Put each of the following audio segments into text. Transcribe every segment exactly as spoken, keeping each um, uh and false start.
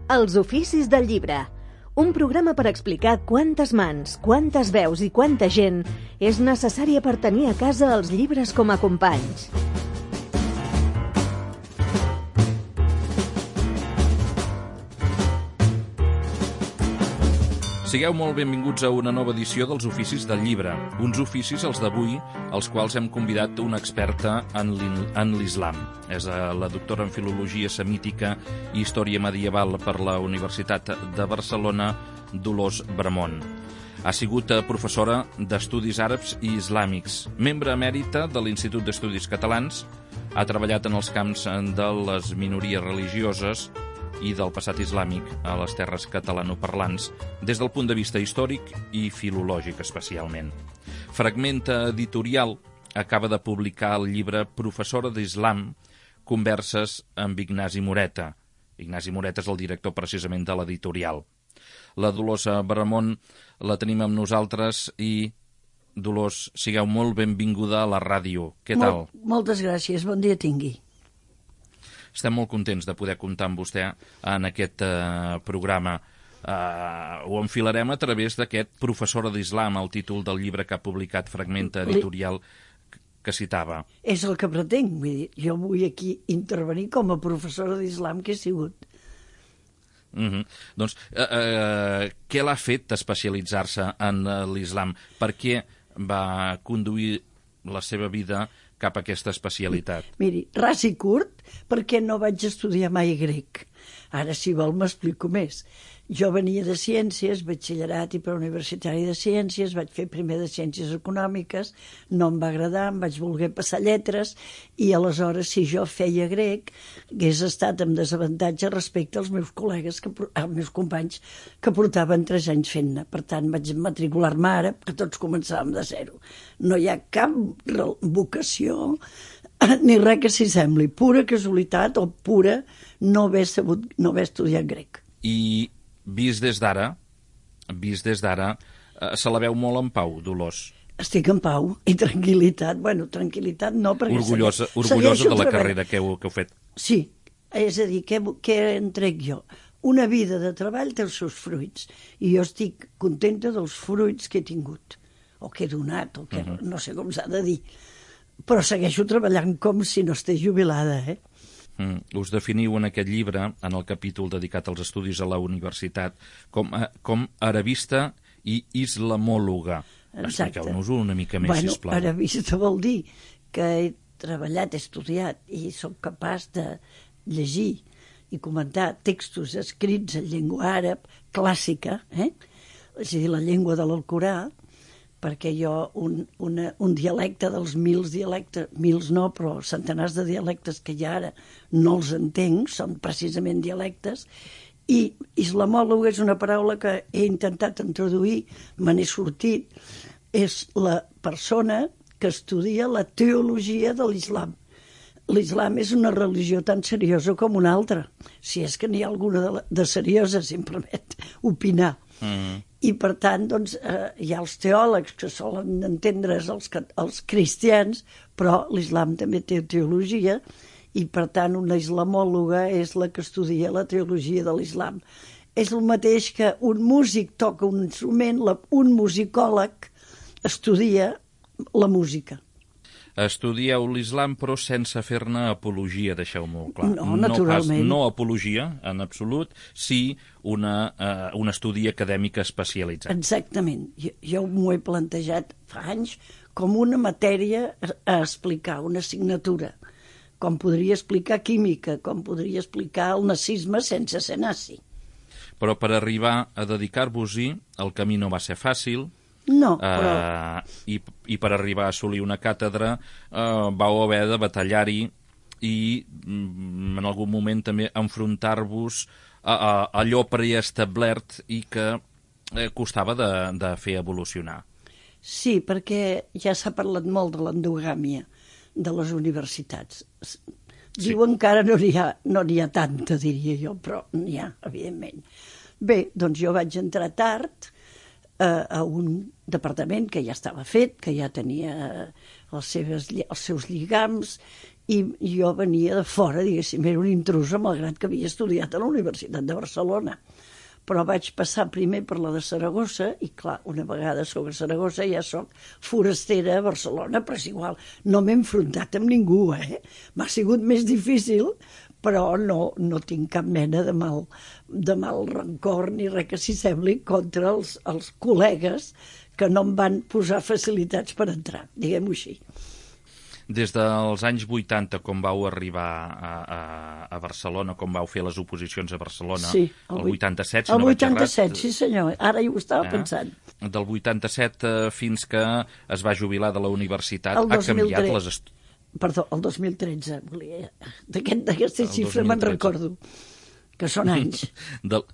Els oficis del llibre. Un programa per explicar quantes mans, quantes veus i quanta gent és necessària per tenir a casa els llibres com a companys. Sigueu molt benvinguts a una nova edició dels Oficis del Llibre. Uns oficis, els d'avui, als quals hem convidat una experta en l'islam. És la doctora en Filologia Semítica i Història Medieval per la Universitat de Barcelona, Dolors Bramon. Ha sigut professora d'Estudis Àrabs i Islàmics, membre emèrita de l'Institut d'Estudis Catalans, ha treballat en els camps de les minories religioses i del passat islàmic a les terres catalanoparlants des del punt de vista històric i filològic especialment. Fragmenta Editorial acaba de publicar el llibre Professora d'Islam, converses amb Ignasi Moreta. Ignasi Moreta és el director precisament de l'editorial. La Dolors Bramon la tenim amb nosaltres i, Dolors, sigueu molt benvinguda a la ràdio. Què tal? Mol, moltes gràcies, bon dia tingui. Estem molt contents de poder comptar amb vostè en aquest eh, programa. Eh, ho enfilarem a través d'aquest Professora d'Islam, el títol del llibre que ha publicat Fragmenta Editorial que citava. És el que pretenc, vull dir, jo vull aquí intervenir com a professora d'Islam que he sigut. Mm-hmm. Doncs, eh, eh, què l'ha fet especialitzar-se en eh, l'islam? Per què va conduir la seva vida cap a aquesta especialitat? Miri, ras i curt, perquè no vaig estudiar mai grec. Ara, si vol, m'explico més. Jo venia de Ciències, batxillerat i preuniversitari de Ciències, vaig fer primer de Ciències Econòmiques, no em va agradar, em vaig voler passar lletres, i aleshores, si jo feia grec, hagués estat amb desavantatge respecte als meus col·legues, que, als meus companys, que portaven tres anys fent-ne. Per tant, vaig matricular-me ara, que tots començàvem de zero. No hi ha cap vocació ni res que s'hi sembli. Pura casualitat o pura no haver sabut, no haver estudiat grec. I vist des d'ara, vist des d'ara, eh, se la veu molt en pau, Dolors. Estic en pau i tranquil·litat. Bueno, tranquil·litat no, perquè... Orgullosa, orgullosa de la carrera que heu, que heu fet. Sí, és a dir, què, què en trec jo? Una vida de treball té els seus fruits i jo estic contenta dels fruits que he tingut, o que he donat, o que uh-huh. no sé com s'ha de dir. Però segueixo treballant com si no estigués jubilada, eh? Mm. Us definiu en aquest llibre, en el capítol dedicat als estudis a la universitat, com, a, com arabista i islamòloga. Expliqueu-nos-ho una mica més, bueno, sisplau. Bueno, arabista vol dir que he treballat, he estudiat i sóc capaç de llegir i comentar textos escrits en llengua àrab clàssica, eh? És a dir, la llengua de l'Alcorà, perquè jo un, una, un dialecte dels mils dialectes, mils no, però centenars de dialectes que hi ha ara no els entenc, són precisament dialectes, i islamòleg és una paraula que he intentat introduir, me n'he sortit, és la persona que estudia la teologia de l'islam. L'islam és una religió tan seriosa com una altra, si és que n'hi ha alguna de, la, de seriosa, si em permet opinar. Mm. I per tant, doncs, eh, hi ha els teòlegs que solen entendre's els, els cristians, però l'islam també té teologia i per tant una islamòloga és la que estudia la teologia de l'islam. És el mateix que un músic toca un instrument, la, un musicòleg estudia la música. Estudieu l'islam però sense fer-ne apologia, deixeu-m'ho clar. No, naturalment. No, pas, no apologia, en absolut, sí una, uh, un estudi acadèmic especialitzat. Exactament. Jo, jo m'ho he plantejat fa anys com una matèria a explicar, una assignatura. Com podria explicar química, com podria explicar el nazisme sense ser nazi. Però per arribar a dedicar-vos-hi, el camí no va ser fàcil. No, però... Uh, i, I per arribar a assolir una càtedra uh, vau haver de batallar-hi i mm, en algun moment també enfrontar-vos a, a allò preestablert i que eh, costava de, de fer evolucionar. Sí, perquè ja s'ha parlat molt de l'endogàmia de les universitats. Sí. Diuen que ara no n'hi ha, no n'hi ha tanta, diria jo, però n'hi ha, evidentment. Bé, doncs jo vaig entrar tard a un departament que ja estava fet, que ja tenia les seves, els seus lligams i jo venia de fora, diguéssim, era una intrusa, malgrat que havia estudiat a la Universitat de Barcelona. Però vaig passar primer per la de Saragossa i, clar, una vegada sobre Saragossa ja soc forastera a Barcelona, però és igual, no m'he enfrontat amb ningú, eh? M'ha sigut més difícil, però no, no tinc cap mena de mal, de mal rancor ni res que s'hi sembli contra els, els col·legues que no em van posar facilitats per entrar, diguem-ho així. Des dels anys vuitanta, com vau arribar a, a, a Barcelona, com vau fer les oposicions a Barcelona, sí, el, el vuitanta-set, si el no vaig errat... El vuitanta-set, sí senyor, ara hi ho estava eh? pensant. Del vuitanta-set eh, fins que es va jubilar de la universitat, ha canviat les... Est... Perdó, el dos mil tretze, volia... D'aquesta xifra me'n recordo, que són anys. Del...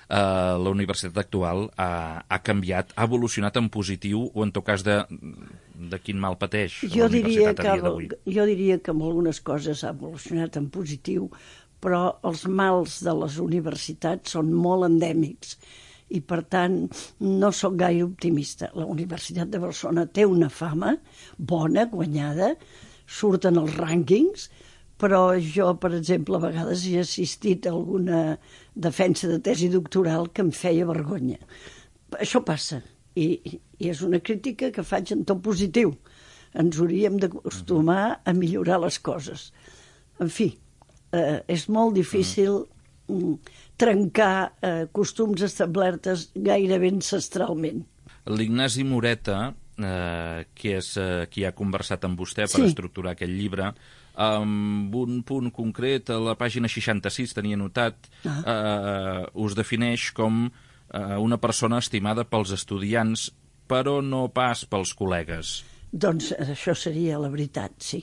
Uh, la universitat actual ha, ha canviat, ha evolucionat en positiu o en tot cas de, de quin mal pateix jo la universitat que, a dia d'avui? Jo diria que en algunes coses ha evolucionat en positiu, però els mals de les universitats són molt endèmics i per tant no sóc gaire optimista. La Universitat de Barcelona té una fama bona, guanyada, surten els rànquings, però jo, per exemple, a vegades he assistit a alguna defensa de tesi doctoral que em feia vergonya. Això passa, i, i és una crítica que faig en tot positiu. Ens hauríem d'acostumar a millorar les coses. En fi, eh, és molt difícil mm, trencar eh, costums establertes gairebé ancestralment. L'Ignasi Moreta, eh, que és eh, qui ha conversat amb vostè per sí. estructurar aquest llibre, amb un punt concret, a la pàgina seixanta-sis, tenia notat, ah. eh, us defineix com eh, una persona estimada pels estudiants, però no pas pels col·legues. Doncs això seria la veritat, sí.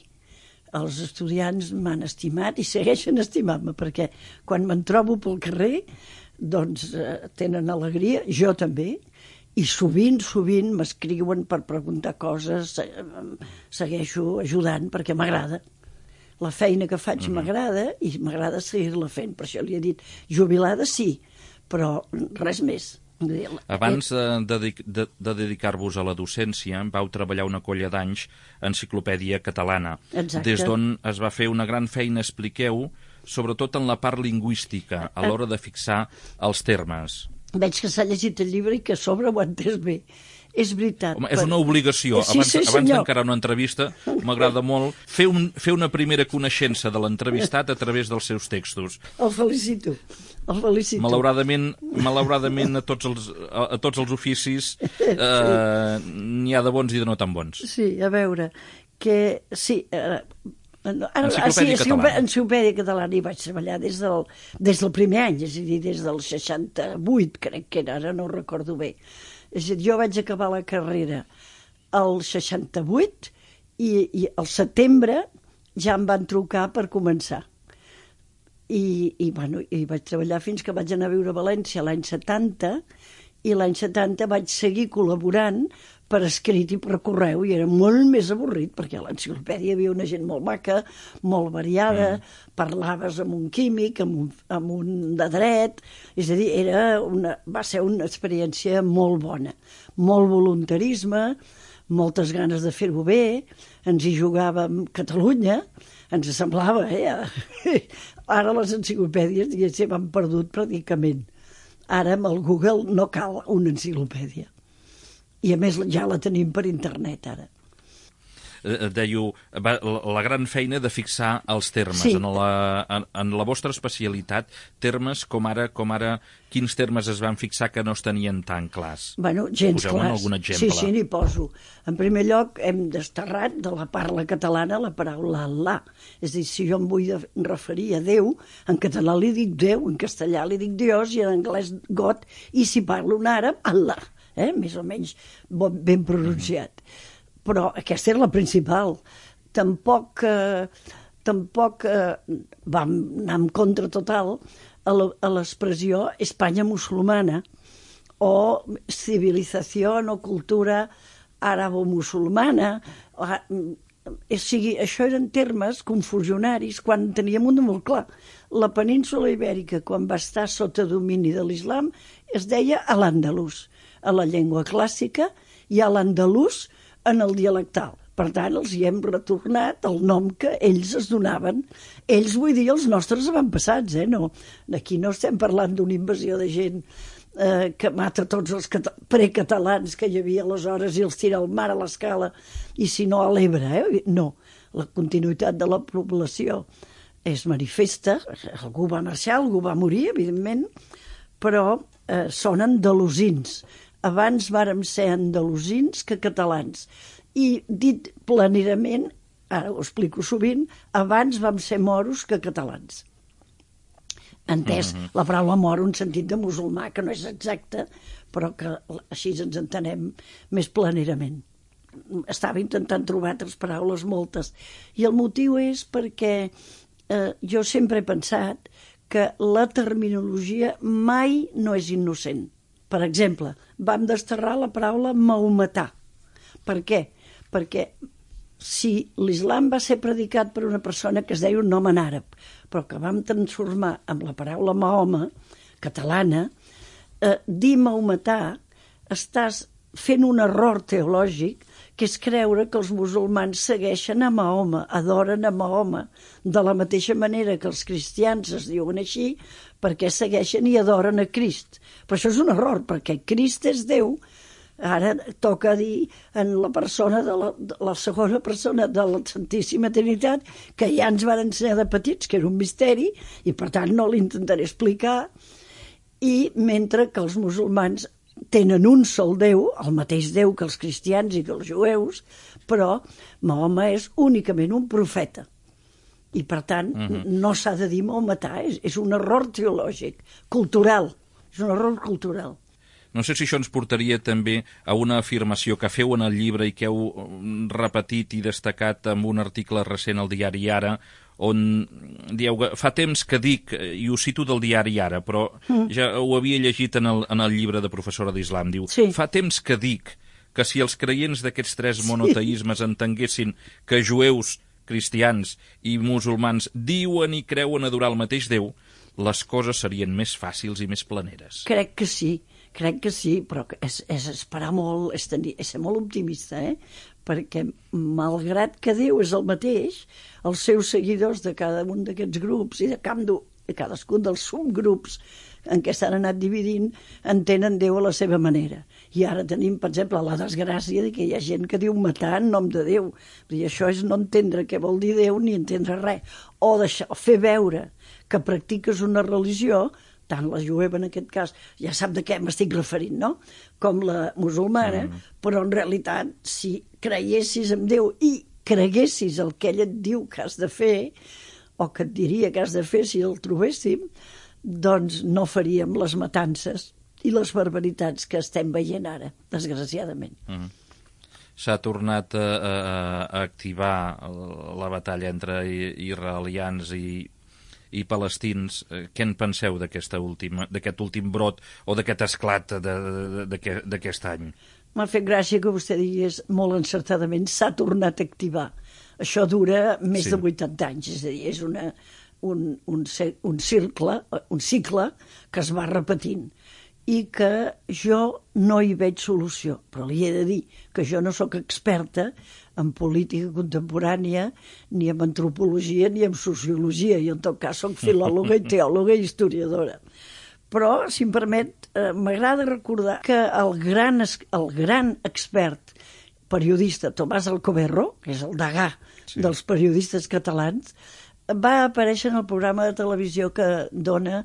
Els estudiants m'han estimat i segueixen estimant-me, perquè quan me'n trobo pel carrer, doncs eh, tenen alegria, jo també, i sovint, sovint m'escriuen per preguntar coses, segueixo ajudant perquè m'agrada. La feina que faig mm-hmm. m'agrada i m'agrada seguir-la fent. Per això li he dit, jubilada sí, però res més. Abans de, de, de dedicar-vos a la docència, vau treballar una colla d'anys a Enciclopèdia Catalana. Exacte. Des d'on es va fer una gran feina, expliqueu, sobretot en la part lingüística, a l'hora de fixar els termes. Veig que s'ha llegit el llibre i que a sobre ho ha entès bé. És veritat. Home, és una obligació. Sí, abans sí, abans d'encarar una entrevista, m'agrada molt fer, un, fer una primera coneixença de l'entrevistat a través dels seus textos. El felicito. El felicito. Malauradament, malauradament a, tots els, a, a tots els oficis eh, n'hi ha de bons i de no tan bons. Sí, a veure, que sí... Eh, Ara, Enciclopèdia sí, Catalana. Enciclopèdia Catalana hi vaig treballar des del, des del primer any, és a dir, des del seixanta-vuit, crec que era, ara no ho recordo bé. És a dir, jo vaig acabar la carrera al seixanta-vuit i, i al setembre ja em van trucar per començar. I, i, bueno, i vaig treballar fins que vaig anar a viure a València l'any setanta, i l'any setanta vaig seguir col·laborant per escrit i per correu, i era molt més avorrit, perquè a l'enciclopèdia hi havia una gent molt maca, molt variada, mm. parlaves amb un químic, amb un, amb un de dret, és a dir, era una, va ser una experiència molt bona, molt voluntarisme, moltes ganes de fer-ho bé, ens hi jugàvem Catalunya, ens semblava, eh? Ara les enciclopèdies, diguéssim, han perdut pràcticament. Ara amb el Google no cal una enciclopèdia. I a més ja la tenim per internet ara. Dèieu, la gran feina de fixar els termes. Sí. En, la, en, en la vostra especialitat, termes com ara, com ara, quins termes es van fixar que no es tenien tan clars? Bueno, gens Poseu-me clars. algun exemple. Sí, sí, n'hi poso. En primer lloc, hem desterrat de la parla catalana la paraula Allah. És a dir, si jo em vull referir a Déu, en català li dic Déu, en castellà li dic Dios i en anglès God, i si parlo en àrab, Allah. Eh? Més o menys ben pronunciat. Mm-hmm. Però aquesta era la principal. Tampoc, eh, tampoc eh, vam anar en contra total a l'expressió Espanya musulmana o civilització o cultura àrabo-musulmana. O, o sigui, això eren termes confusionaris quan teníem un de molt clar. La península ibèrica, quan va estar sota domini de l'islam, es deia a l'andalús, a la llengua clàssica, i a l'andalús en el dialectal. Per tant, els hi hem retornat el nom que ells es donaven. Ells, vull dir, els nostres avantpassats, eh? No, aquí no estem parlant d'una invasió de gent eh, que mata tots els precatalans que hi havia aleshores i els tira al mar a l'Escala i si no a l'Ebre, eh? No, la continuïtat de la població és manifesta, algú va marxar, algú va morir, evidentment, però eh, són andalusins. Abans vàrem ser andalusins que catalans. I dit planerament, ara ho explico sovint, abans vam ser moros que catalans. Entès, mm-hmm. la paraula moro en sentit de musulmà, que no és exacte, però que així ens entenem més planerament. Estava intentant trobar altres paraules, moltes. I el motiu és perquè eh, jo sempre he pensat que la terminologia mai no és innocent. Per exemple, vam desterrar la paraula maometà. Per què? Perquè si l'islam va ser predicat per una persona que es deia un nom en àrab, però que vam transformar amb la paraula Mahoma, catalana, eh, dir maometà, estàs fent un error teològic, que és creure que els musulmans segueixen a Mahoma, adoren a Mahoma, de la mateixa manera que els cristians es diuen així, perquè segueixen i adoren a Crist. Però això és un error, perquè Crist és Déu. Ara toca dir en la persona de la, de la segona persona de la Santíssima Trinitat, que ja ens van ensenyar de petits, que era un misteri, i per tant no l'intentaré explicar, i mentre que els musulmans tenen un sol Déu, el mateix Déu que els cristians i que els jueus, però Mahoma és únicament un profeta. I per tant uh-huh. no s'ha de dir maometà, és, és un error teològic, cultural, és un error cultural. No sé si això ens portaria també a una afirmació que feu en el llibre i que heu repetit i destacat en un article recent al diari Ara, on dieu que fa temps que dic, i ho cito del diari Ara, però mm. ja ho havia llegit en el, en el llibre de professora d'Islam, diu, sí. fa temps que dic que si els creients d'aquests tres monoteismes sí. entenguessin que jueus, cristians i musulmans diuen i creuen adorar el mateix Déu, les coses serien més fàcils i més planeres. Crec que sí. Crec que sí, però és, és esperar molt, és, tenir, és ser molt optimista, eh? Perquè malgrat que Déu és el mateix, els seus seguidors de cada un d'aquests grups i de cadascun dels subgrups en què s'han anat dividint entenen Déu a la seva manera. I ara tenim, per exemple, la desgràcia de que hi ha gent que diu matar en nom de Déu. I això és no entendre què vol dir Déu ni entendre res. O deixar, fer veure que practiques una religió, tant la jueva en aquest cas, ja sap de què m'estic referint, no? Com la musulmana, mm. però en realitat, si creiessis en Déu i creguessis el que ell et diu que has de fer, o que et diria que has de fer si el trobéssim, doncs no faríem les matances i les barbaritats que estem veient ara, desgraciadament. Mm. S'ha tornat a, a, a activar la batalla entre israelians i i palestins. Què en penseu d'aquesta última, d'aquest últim brot o d'aquest esclat d'aquest any? M'ha fet gràcia que vostè digués molt encertadament s'ha tornat a activar. Això dura més sí. de vuitanta anys, és a dir, és una, un, un, un, circle, un cicle que es va repetint i que jo no hi veig solució, però li he de dir que jo no sóc experta en política contemporània, ni en antropologia, ni en sociologia, i en tot cas soc filòloga i teòloga i historiadora. Però, si em permet, eh, m'agrada recordar que el gran, el gran expert periodista Tomàs Alcoberro, que és el degà sí. dels periodistes catalans, va aparèixer en el programa de televisió que dona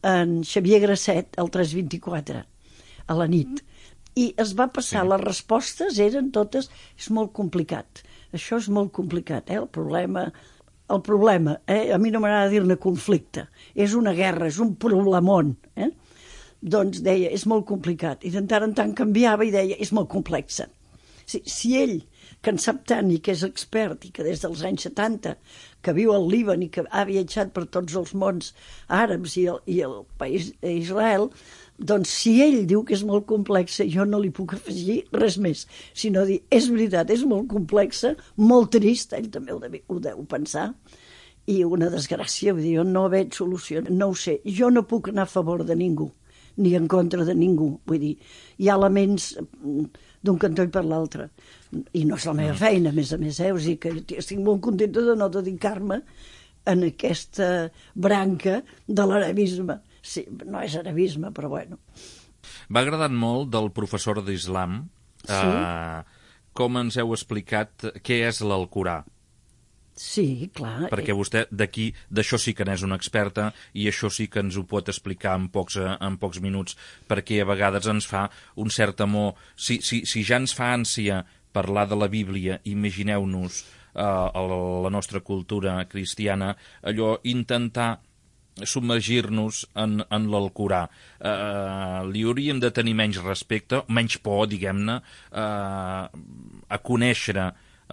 en Xavier Grasset, el tres vint-i-quatre, a la nit. I es va passar, sí. les respostes eren totes, és molt complicat, això és molt complicat, eh? el problema, el problema eh? a mi no m'agrada dir-ne conflicte, és una guerra, és un problemon, eh? doncs deia, és molt complicat, i de tant en tant canviava i deia, és molt complexa. Si, si ell, que en sap tant i que és expert, i que des dels anys setanta, que viu al Líban i que ha viatjat per tots els mons àrabs i el, i el país d'Israel, doncs si ell diu que és molt complexa, jo no li puc afegir res més, sinó dir, és veritat, és molt complexa, molt trist, ell també ho deu, ho deu pensar, i una desgràcia, vull dir, jo no veig solució, no ho sé, jo no puc anar a favor de ningú, ni en contra de ningú, vull dir, hi ha elements d'un cantó i per l'altre. I no és la meva feina, a més a més, eh? O sigui que jo estic molt contenta de no dedicar-me en aquesta branca de l'arabisme. Sí, no és arabisme, però bueno. M'ha agradat molt del professor d'Islam, sí? eh, com ens heu explicat què és l'Alcorà. Sí, clar. Perquè vostè d'aquí, d'això sí que n'és una experta i això sí que ens ho pot explicar en pocs, en pocs minuts, perquè a vegades ens fa un cert amor. Si, si, si ja ens fa ànsia parlar de la Bíblia, imagineu-nos eh, la nostra cultura cristiana, allò intentar submergir-nos en, en l'Alcorà. Eh, li hauríem de tenir menys respecte, menys por, diguem-ne, eh, a conèixer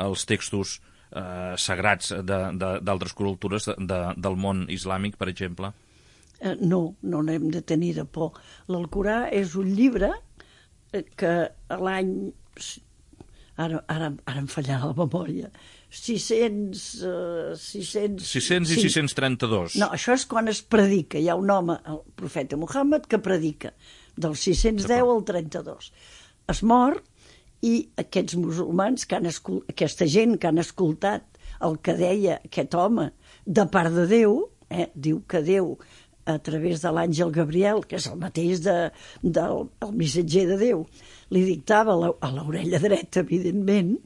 els textos eh, sagrats d'altres cultures de, de, del món islàmic, per exemple? Eh, no, no n'hem de tenir de por. L'Alcorà és un llibre que a l'any... Ara, ara, ara em fallava la memòria. sis-cents... Uh, sis-cents... sis-cents i sí. sis-cents trenta-dos. No, això és quan es predica. Hi ha un home, el profeta Muhammad, que predica del sis-cents deu al trenta-dos. Es mor i aquests musulmans, que han escol... aquesta gent que han escoltat el que deia aquest home de part de Déu, eh, diu que Déu, a través de l'àngel Gabriel, que és el mateix de, del el missatger de Déu, li dictava la, a l'orella dreta, evidentment,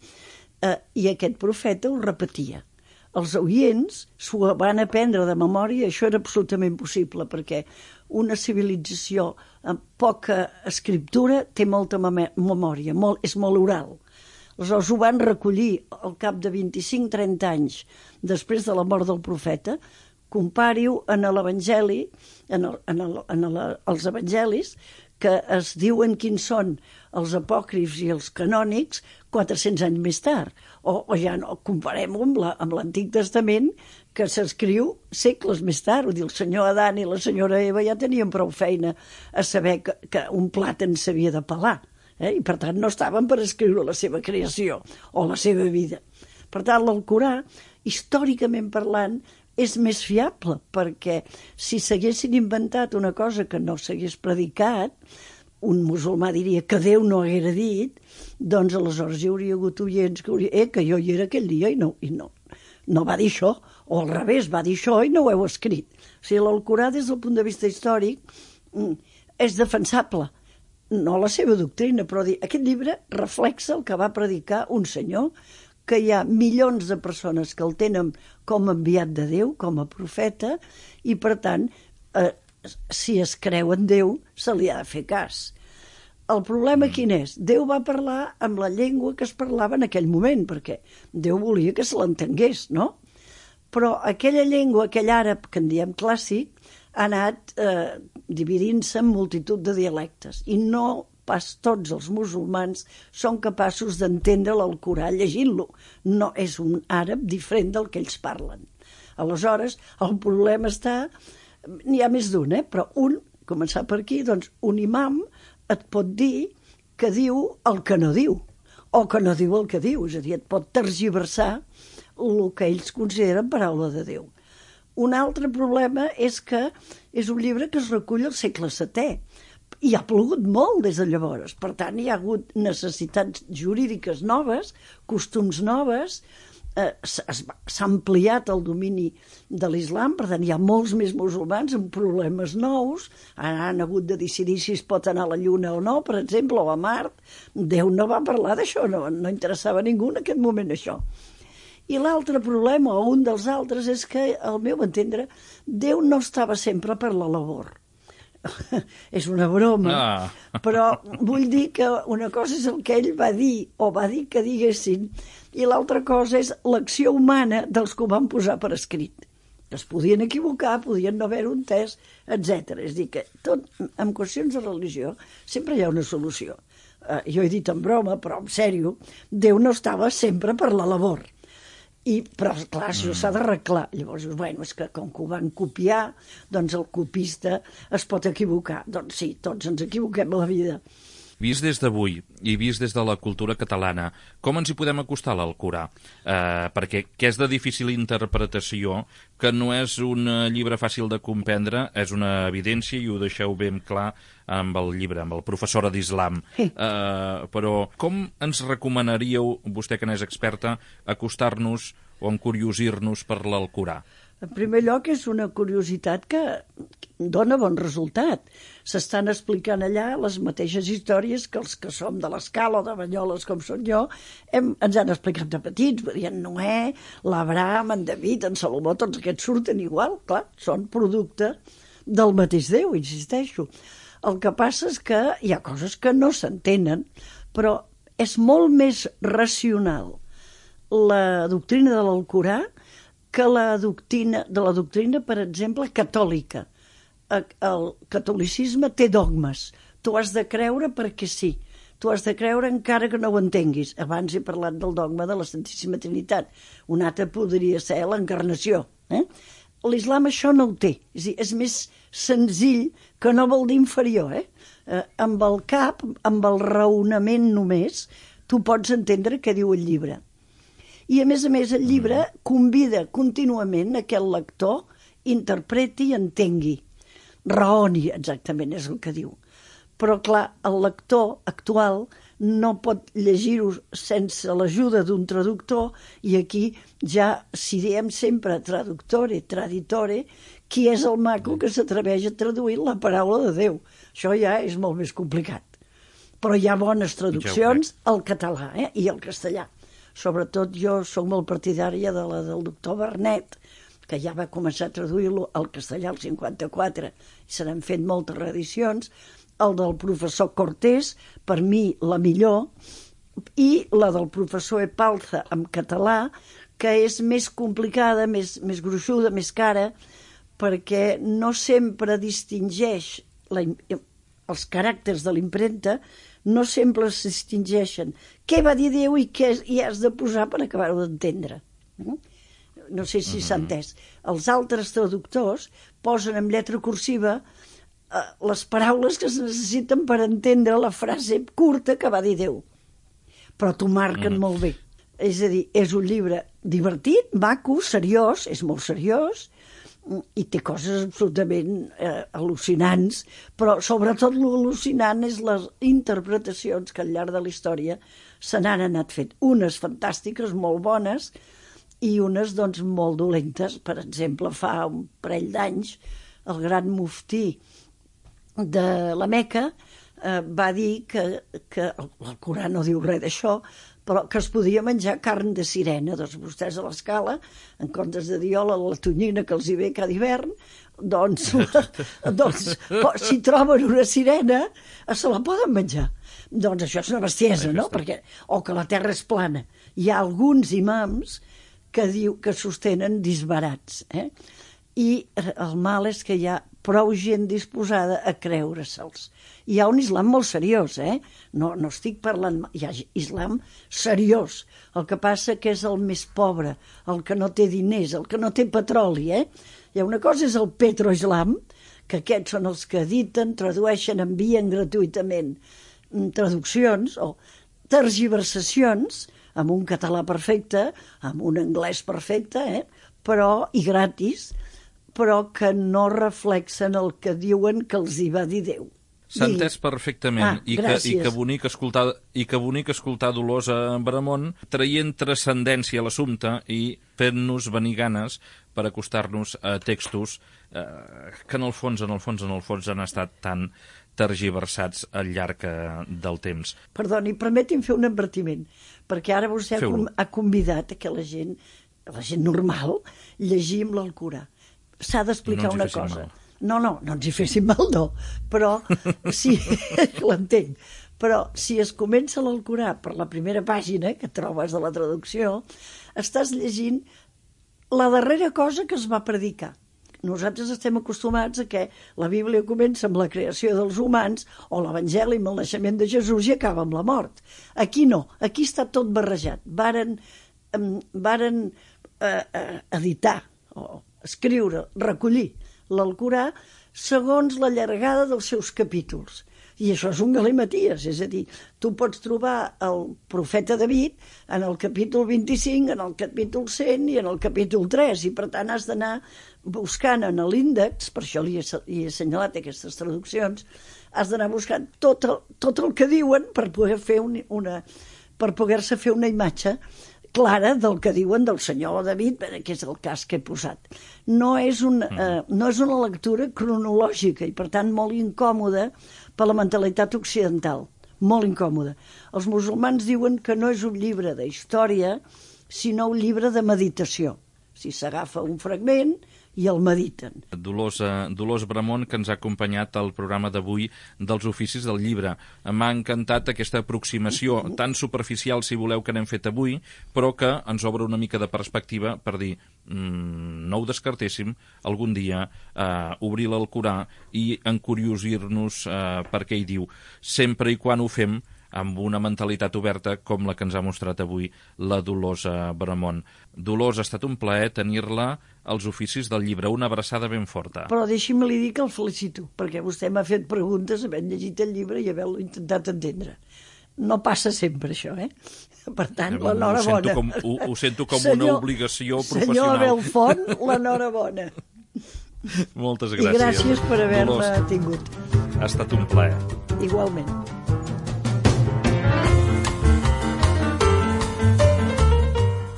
eh, i aquest profeta ho repetia. Els oients s'ho van aprendre de memòria, això era absolutament possible, perquè una civilització amb poca escriptura té molta memòria, molt, és molt oral. Aleshores ho van recollir al cap de vint-i-cinc a trenta anys després de la mort del profeta. Compari-ho en l'Evangeli, en, el, en, el, en el, els evangelis, que es diuen quins són els apòcrifs i els canònics quatre-cents anys més tard. O, o ja no, comparem-ho amb, la, amb l'Antic Testament, que s'escriu segles més tard. Vull dir, el senyor Adán i la senyora Eva ja tenien prou feina a saber que, que un plàtan s'havia de pelar. Eh? I per tant no estaven per escriure la seva creació o la seva vida. Per tant, l'Alcorà, històricament parlant, és més fiable, perquè si s'haguessin inventat una cosa que no s'hagués predicat, un musulmà diria que Déu no haguera dit, doncs aleshores hi hauria hagut oients que hauria... Eh, que jo hi era aquell dia i no, i no, no va dir això, o al revés, va dir això i no ho heu escrit. O sigui, l'Alcorà, des del punt de vista històric, és defensable. No la seva doctrina, però dir, aquest llibre reflexa el que va predicar un senyor, que hi ha milions de persones que el tenen com enviat de Déu, com a profeta, i per tant, eh, si es creu en Déu, se li ha de fer cas. El problema quin és? Déu va parlar amb la llengua que es parlava en aquell moment, perquè Déu volia que se l'entengués, no? Però aquella llengua, aquell àrab que en diem clàssic, ha anat eh, dividint-se en multitud de dialectes, i no pas tots els musulmans són capaços d'entendre l'Alcorà llegint-lo. No és un àrab diferent del que ells parlen. Aleshores, el problema està... N'hi ha més d'un, eh? Però un, començar per aquí, doncs un imam et pot dir que diu el que no diu, o que no diu el que diu, és a dir, et pot tergiversar el que ells consideren paraula de Déu. Un altre problema és que és un llibre que es recull al segle setè, i ha plogut molt des de llavors. Per tant, hi ha hagut necessitats jurídiques noves, costums noves, eh, s'ha ampliat el domini de l'islam, per tant, hi ha molts més musulmans amb problemes nous, ara han hagut de decidir si es pot anar a la Lluna o no, per exemple, o a Mart. Déu no va parlar d'això, no, no interessava a ningú en aquest moment això. I l'altre problema, o un dels altres, és que, al meu entendre, Déu no estava sempre per la labor. És una broma, ah. Però vull dir que una cosa és el que ell va dir o va dir que diguessin i l'altra cosa és l'acció humana dels que ho van posar per escrit, que es podien equivocar, podien no haver-ho entès, etcètera. És a dir, que tot, en qüestions de religió sempre hi ha una solució. Uh, jo he dit en broma, però en sèrio, Déu no estava sempre per la labor. I, però, clar, això s'ha d'arreglar. Llavors, bueno, és que com que ho van copiar, doncs el copista es pot equivocar. Doncs sí, tots ens equivoquem a la vida. Vist des d'avui i vist des de la cultura catalana, com ens hi podem acostar a l'Alcorà? Eh, perquè que és de difícil interpretació, que no és un llibre fàcil de comprendre, és una evidència i ho deixeu ben clar amb el llibre, amb el professora d'Islam. Eh, però com ens recomanaríeu, vostè que n'és experta, acostar-nos o encuriosir-nos per l'Alcorà? En primer lloc, és una curiositat que dona bon resultat. S'estan explicant allà les mateixes històries que els que som de l'Escala o de Banyoles, com són jo, hem, ens han explicat de petits. Vull dir, en Noè, l'Abraham, en David, en Salomó, tots aquests surten igual, clar, són producte del mateix Déu, insisteixo. El que passa és que hi ha coses que no s'entenen, però és molt més racional la doctrina de l'Alcorà que la doctrina, de la doctrina, per exemple, catòlica. El catolicisme té dogmes. Tu has de creure perquè sí. Tu has de creure encara que no ho entenguis. Abans he parlat del dogma de la Santíssima Trinitat. Un altre podria ser l'encarnació. Eh? L'islam això no ho té. És dir, és més senzill, que no vol dir inferior. Eh? Eh, amb el cap, amb el raonament només, tu pots entendre què diu el llibre. I, a més a més, el llibre convida contínuament a que el lector interpreti i entengui. Raoni, exactament, és el que diu. Però, clar, el lector actual no pot llegir-ho sense l'ajuda d'un traductor, i aquí ja, si diem sempre traductore, traditore, qui és el maco que s'atreveix a traduir la paraula de Déu? Això ja és molt més complicat. Però hi ha bones traduccions al català eh? i al castellà. Sobretot jo soc molt partidària de la del doctor Bernet, que ja va començar a traduir-lo al castellà al cinquanta-quatre, i se n'han fet moltes reedicions, el del professor Cortés, per mi la millor, i la del professor Epalza en català, que és més complicada, més, més gruixuda, més cara, perquè no sempre distingeix la, els caràcters de l'impremta, no sempre es distingeixen què va dir Déu i què hi has de posar per acabar-ho d'entendre. No sé si s'ha entès. Els altres traductors posen en lletra cursiva eh, les paraules que es necessiten per entendre la frase curta que va dir Déu. Però t'ho marquen molt bé. És a dir, és un llibre divertit, maco, seriós, és molt seriós, i té coses absolutament eh, al·lucinants, però sobretot l'al·lucinant és les interpretacions que al llarg de la història se n'han anat fet. Unes fantàstiques, molt bones, i unes doncs molt dolentes. Per exemple, fa un parell d'anys el gran muftí de la Meca eh, va dir que, que l'Alcorà no diu res d'això, però que es podia menjar carn de sirena. Doncs vostès a l'Escala, en comptes de diola, la tonyina que els hi ve cada hivern, doncs, doncs si troben una sirena, se la poden menjar. Doncs això és una bestiesa, no? Perquè, o que la terra és plana. Hi ha alguns imams que, diu, que sostenen disbarats. Eh? I el mal és que hi ha prou gent disposada a creure-se'ls. Hi ha un islam molt seriós, eh? No, no estic parlant... Hi ha islam seriós. El que passa que és el més pobre, el que no té diners, el que no té petroli, eh? Hi ha una cosa és el petroislam, que aquests són els que editen, tradueixen, envien gratuïtament traduccions o tergiversacions amb un català perfecte, amb un anglès perfecte, eh? Però, i gratis, però que no reflexen el que diuen que els hi va dir Déu. S'ha entès perfectament, ah, i, que, i, que bonic escoltar, i que bonic escoltar Dolors a Bramont traient transcendència a l'assumpte i fent-nos venir ganes per acostar-nos a textos eh, que en el fons, en el fons, en el fons han estat tan tergiversats al llarg del temps. Perdoni, permeti'm fer un advertiment, perquè ara vostè Feu-lo. ha convidat a que la gent, la gent normal, llegim l'Alcorà. S'ha d'explicar no una cosa. Mal. No, no, no ens hi fessin mal, no. Però, sí, l'entenc. Però si es comença l'Alcorà per la primera pàgina que trobes de la traducció, estàs llegint la darrera cosa que es va predicar. Nosaltres estem acostumats a que la Bíblia comença amb la creació dels humans o l'Evangeli amb el naixement de Jesús i acaba amb la mort. Aquí no, aquí està tot barrejat. Varen, um, varen uh, uh, editar o escriure, recollir l'Alcorà segons la llargada dels seus capítols. I això és un galimaties, és a dir, tu pots trobar el profeta David en el capítol vint-i-cinc, en el capítol cent i en el capítol tres, i per tant has d'anar buscant en l'índex, per això li he, he assenyalat aquestes traduccions, has d'anar buscant tot el, tot el que diuen per poder fer un, una, per poder-se fer una imatge clara del que diuen del senyor David, que és el cas que he posat. No és, un, eh, no és una lectura cronològica i, per tant, molt incòmoda per la mentalitat occidental. Molt incòmoda. Els musulmans diuen que no és un llibre de història, sinó un llibre de meditació. Si s'agafa un fragment i el mediten. Dolors, eh, Dolors Bramont, que ens ha acompanyat al programa d'avui dels oficis del llibre. M'ha encantat aquesta aproximació tan superficial, si voleu, que n'hem fet avui, però que ens obre una mica de perspectiva per dir, mmm, no ho descartéssim algun dia eh, obrir l'Alcorà i encuriosir-nos eh, per què hi diu, sempre i quan ho fem amb una mentalitat oberta com la que ens ha mostrat avui la Dolors Bramont. Dolors, ha estat un plaer tenir-la als oficis del llibre. Una abraçada ben forta. Però deixi'm-li dir que el felicito, perquè vostè m'ha fet preguntes havent llegit el llibre i havent-lo intentat entendre. No passa sempre, això, eh? Per tant, l'enhorabona. Ho, ho sento com senyor, una obligació professional. Senyor Abel Font, l'enhorabona. Moltes gràcies. I gràcies per haver-me tingut. Ha estat un plaer. Igualment.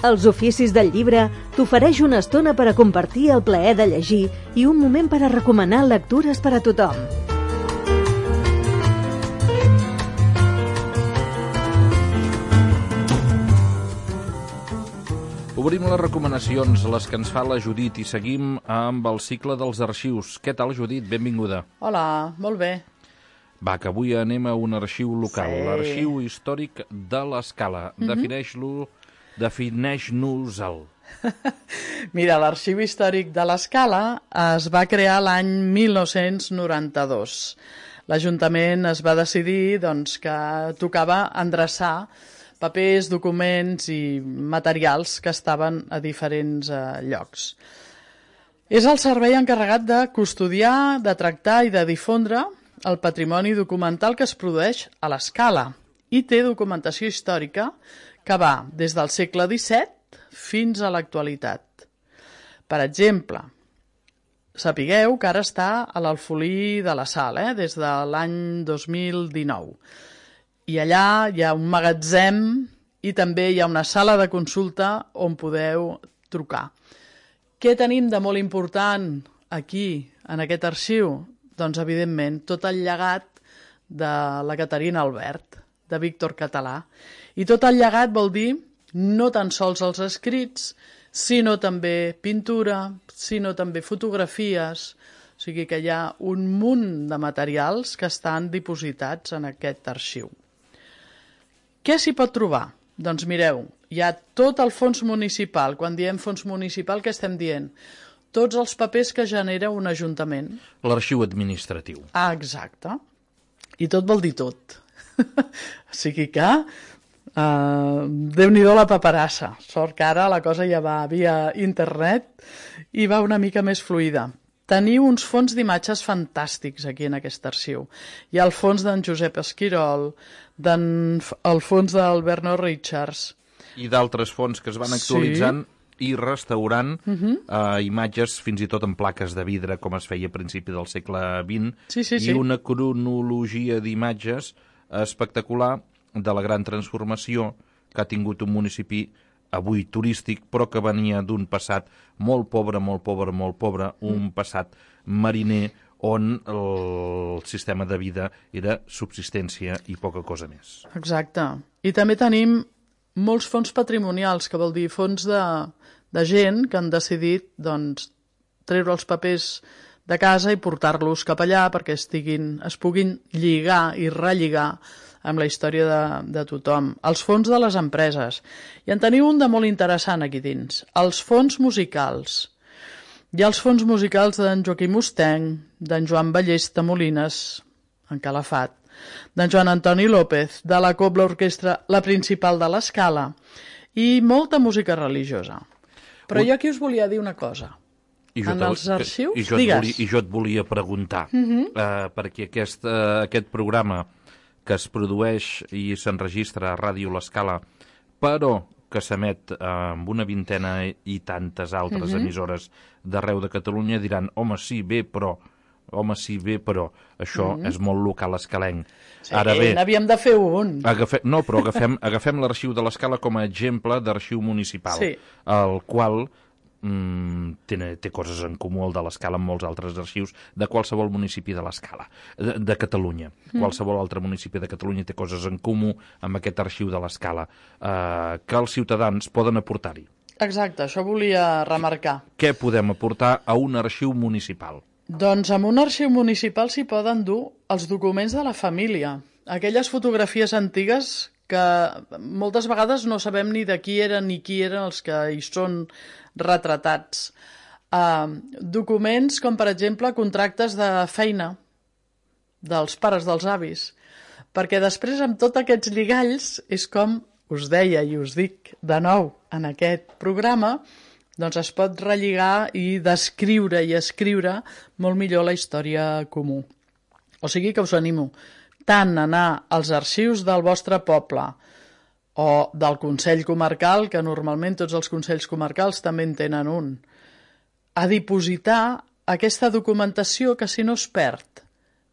Els oficis del llibre t'ofereix una estona per a compartir el plaer de llegir i un moment per a recomanar lectures per a tothom. Obrim les recomanacions, les que ens fa la Judit, i seguim amb el cicle dels arxius. Què tal, Judit? Benvinguda. Hola, molt bé. Va, que avui anem a un arxiu local, sí. L'arxiu històric de l'Escala. Mm-hmm. Defineix-lo, defineix-nos-el. Mira, l'Arxiu Històric de l'Escala es va crear l'any mil nou-cents noranta-dos. L'Ajuntament es va decidir doncs, que tocava endreçar papers, documents i materials que estaven a diferents eh, llocs. És el servei encarregat de custodiar, de tractar i de difondre el patrimoni documental que es produeix a l'Escala i té documentació històrica que va des del segle disset fins a l'actualitat. Per exemple, sapigueu que ara està a l'Alfolí de la Sal, eh, des de l'any dos mil dinou. I allà hi ha un magatzem i també hi ha una sala de consulta on podeu trucar. Què tenim de molt important aquí, en aquest arxiu? Doncs, evidentment, tot el llegat de la Caterina Albert, de Víctor Català. I tot el llegat vol dir no tan sols els escrits, sinó també pintura, sinó també fotografies. O sigui que hi ha un munt de materials que estan dipositats en aquest arxiu. Què s'hi pot trobar? Doncs mireu, hi ha tot el fons municipal. Quan diem fons municipal, què estem dient? Tots els papers que genera un ajuntament. L'arxiu administratiu. Ah, exacte. I tot vol dir tot. O sigui que uh, Déu-n'hi-do la paperassa. Sort que ara la cosa ja va via internet i va una mica més fluida. Teniu uns fons d'imatges fantàstics aquí en aquest arxiu. Hi ha el fons d'en Josep Esquirol, el fons del Bernard Richards. I d'altres fons que es van actualitzant sí. i restaurant uh-huh. eh, imatges fins i tot en plaques de vidre, com es feia a principi del segle vint, sí, sí, i sí. una cronologia d'imatges espectacular de la gran transformació que ha tingut un municipi avui turístic, però que venia d'un passat molt pobre, molt pobre, molt pobre, un passat mariner on el sistema de vida era subsistència i poca cosa més. Exacte. I també tenim molts fons patrimonials, que vol dir fons de, de gent que han decidit doncs, treure els papers de casa i portar-los cap allà perquè estiguin, es puguin lligar i relligar amb la història de, de tothom. Els fons de les empreses. I en teniu un de molt interessant aquí dins. Els fons musicals. Hi ha els fons musicals d'en Joaquim Mustenc, d'en Joan Ballesta Molines, en Calafat, d'en Joan Antoni López, de la Cobla Orquestra, la principal de l'Escala, i molta música religiosa. Però jo aquí us volia dir una cosa. I jo en te- els arxius? I jo, et Digues. volia, I jo et volia preguntar, uh -huh. uh, perquè aquest, uh, aquest programa que es produeix i s'enregistra a Ràdio L'Escala, però que s'emet uh, amb una vintena i tantes altres uh -huh. emissores d'arreu de Catalunya, diran, home, sí, bé, però... Home, sí, bé, però això mm -hmm. és molt local escalenc. Sí, Ara bé, n'havíem de fer un. agafe... No, però agafem, agafem l'arxiu de l'Escala com a exemple d'arxiu municipal, Sí. el qual mm, té, té coses en comú, el de l'Escala, amb molts altres arxius de qualsevol municipi de l'Escala, de, de Catalunya. Mm. Qualsevol altre municipi de Catalunya té coses en comú amb aquest arxiu de l'Escala, eh, que els ciutadans poden aportar-hi. Exacte, això volia remarcar. Què podem aportar a un arxiu municipal? Doncs amb un arxiu municipal s'hi poden dur els documents de la família, aquelles fotografies antigues que moltes vegades no sabem ni de qui eren ni qui eren els que hi són retratats. Uh, documents com, per exemple, contractes de feina dels pares, dels avis, perquè després amb tots aquests lligalls és com us deia i us dic de nou en aquest programa, doncs es pot relligar i descriure i escriure molt millor la història comú. O sigui que us animo tant a anar als arxius del vostre poble o del Consell Comarcal, que normalment tots els Consells Comarcals també en tenen un, a dipositar aquesta documentació que si no es perd,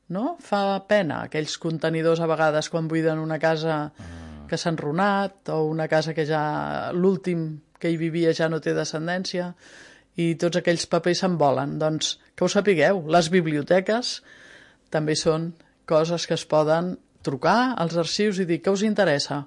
no? Fa pena aquells contenidors a vegades quan buiden una casa que s'ha enrunat o una casa que ja l'últim que hi vivia ja no té descendència i tots aquells papers se'n volen. Doncs que ho sapigueu, les biblioteques també són coses que es poden trucar als arxius i dir què us interessa.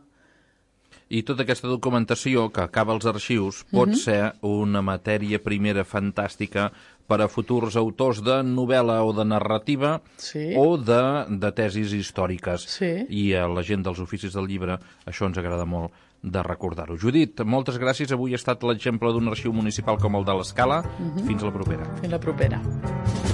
I tota aquesta documentació que acaba als arxius pot mm-hmm. ser una matèria primera fantàstica per a futurs autors de novel·la o de narrativa sí. o de, de tesis històriques. Sí. I a la gent dels oficis del llibre això ens agrada molt de recordar-ho. Judit, moltes gràcies. Avui ha estat l'exemple d'un arxiu municipal com el de l'Escala. Mm-hmm. Fins la propera. Fins la propera.